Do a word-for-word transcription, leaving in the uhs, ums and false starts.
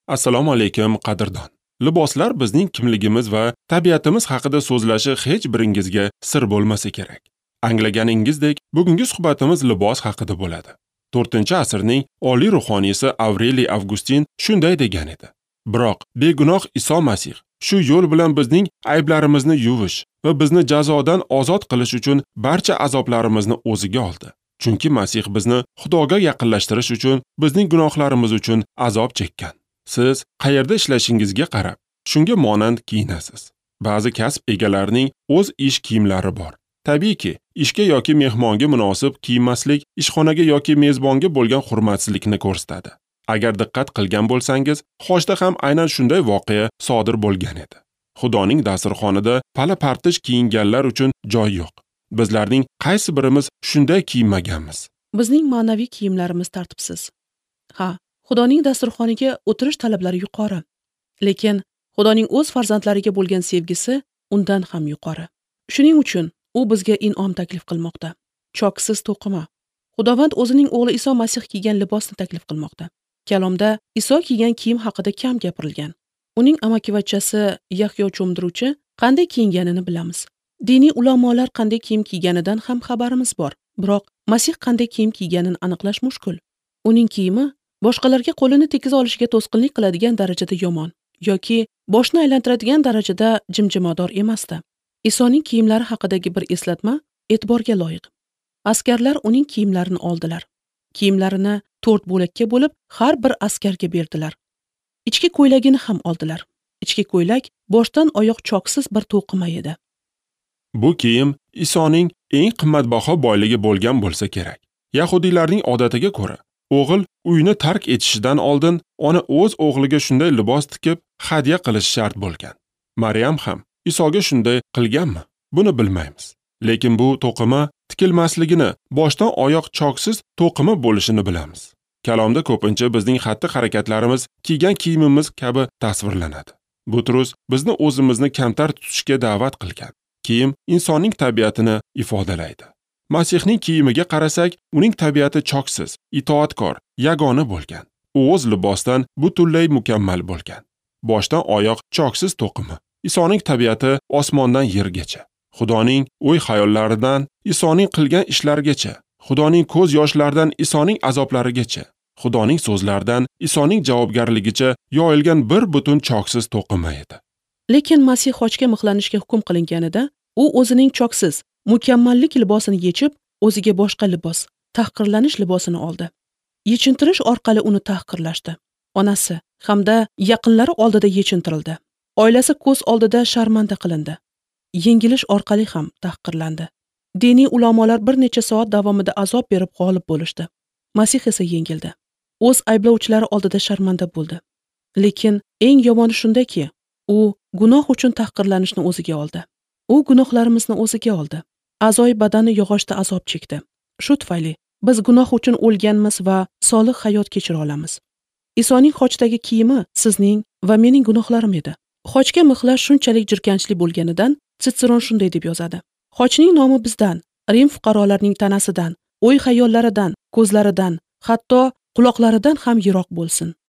Assalomu alaykum, qadrdon. Liboslar bizning kimligimiz va tabiatimiz haqida so'zlashi hech biringizga sir bo'lmasa kerak. Anglaganingizdek, bugungi suhbatimiz libos haqida bo'ladi. to'rtinchi asrning oliy ruhoniysi Avreliy Avgustin shunday degan edi: Biroq begunoh Iso Masih shu yo'l bilan bizning ayblarimizni yuvish va bizni jazodan ozod qilish uchun barcha azoblarimizni o'ziga oldi. Chunki Masih bizni Xudoga yaqinlashtirish uchun bizning gunohlarimiz uchun azob chekkan. Siz qayerda ishlashingizga qarab, shunga monand kiyinasiz. Ba'zi kasb egalarining o'z ish kiyimlari bor. Tabiiyki, ishga yoki mehmonga munosib kiyinmaslik ishxonaga yoki mezbonga bo'lgan hurmatsizlikni ko'rsatadi. Agar diqqat qilgan bo'lsangiz, Xochda ham aynan shunday voqea sodir bo'lgan edi. Xudoning dasturxonida pala-partish kiyinganlar uchun joy yo'q. Bizlarning qaysi birimiz shunday kiyinmaganmiz? Bizning ma'naviy kiyimlarimiz tartibsiz. Ha, Xudoning dasturxoniga o'tirish talablari yuqori. Lekin Xudoning o'z farzandlariga bo'lgan sevgisi undan ham yuqori. Shuning uchun u bizga in'om taklif qilmoqda. Choksiz to'qima. Xudovand o'zining o'g'li Iso Masih kiygan libosni taklif qilmoqda. Kalomda Iso kiygan kiyim haqida kam gapirilgan. Uning amakivachchasi Yahyo cho'mdiruvchi qanday kiyinganini bilamiz. Diniy ulamolar qanday kiyim kiyganidan ham xabarimiz bor. Biroq Masih qanday kiyim kiyganini aniqlash mushkul. Uning kiyimi boshqalarga qo'lini tekiza olishiga to'sqinlik qiladigan darajada yomon yoki boshni aylantiradigan darajada jimjimador emasdi. Isoning kiyimlari haqidagi bir eslatma e'tiborga loyiq. Askarlar uning kiyimlarini oldilar. Kiyimlarini to'rt bo'lakka bo'lib, har bir askarga berdilar. Ichki ko'ylagini ham oldilar. Ichki ko'ylak boshdan oyoq choksiz bir to'qima edi. Bu kiyim Isoning eng qimmatbaho boyligi bo'lgan bo'lsa kerak. Yahudiylarning odatiga ko'ra, o'g'il uyni tark etishidan oldin ona o'z o'g'liga shunday libos tikib hadya qilish shart bo'lgan. Maryam ham Isoga shunday qilganmi? Buni bilmaymiz. Lekin bu to'qima tikilmasligini, boshdan oyoq choksiz to'qima bo'lishini bilamiz. Kalomda ko'pincha bizning xatti-harakatlarimiz kiygan kiyimimiz kabi tasvirlanadi. Butrus bizni o'zimizni kamtar tutishga da'vat qilgan. Kiyim insonning tabiatini ifodalaydi. Masihning kiyimiga qarasak, uning tabiati choksiz, itoatkor, yagona bo'lgan. U o'z libosdan butunlay mukammal bo'lgan. Boshdan oyoq choksiz to'qima. Isoning tabiati osmondan yergacha, Xudoning o'y-xayollaridan Isoning qilgan ishlarigacha, Xudoning ko'z yoshlaridan Isoning azoblarigacha, Xudoning so'zlaridan Isoning javobgarligicha yoyilgan bir butun choksiz to'qima edi. Lekin Masih xochga mixlanishga hukm qilinganida, u o'zining choksiz, mukammallik libosini yechib, o'ziga boshqa libos, tahqirlanish libosini oldi. Yechintirish orqali uni tahqirlashdi. Onasi hamda yaqinlari oldida yechintirildi. Oilasi ko'z oldida sharmanda qilindi. Yengilish orqali ham tahqirlandi. Diniy ulamolar bir necha soat davomida azob berib g'olib bo'lishdi. Masih esa yengildi. O'z ayblovchilari oldida sharmanda bo'ldi. Lekin eng yomoni shundaki, u gunoh uchun tahqirlanishni o'ziga oldi. U gunohlarimizni o'ziga oldi. A'zoyi badani yog'ochda azob chekdi. Shu tufayli biz gunoh uchun o'lganmiz va solih hayot kechira olamiz. Isoning xochdagi kiyimi sizning va mening gunohlarim edi. Xochga mixlash shunchalik jirkanchli bo'lganidan Sitseron shunday deb yozadi: Xochning nomi bizdan, Rim fuqarolarining tanasidan, o'y-xayollaridan, ko'zlaridan, hatto quloqlaridan ham yiroq bo'lsin.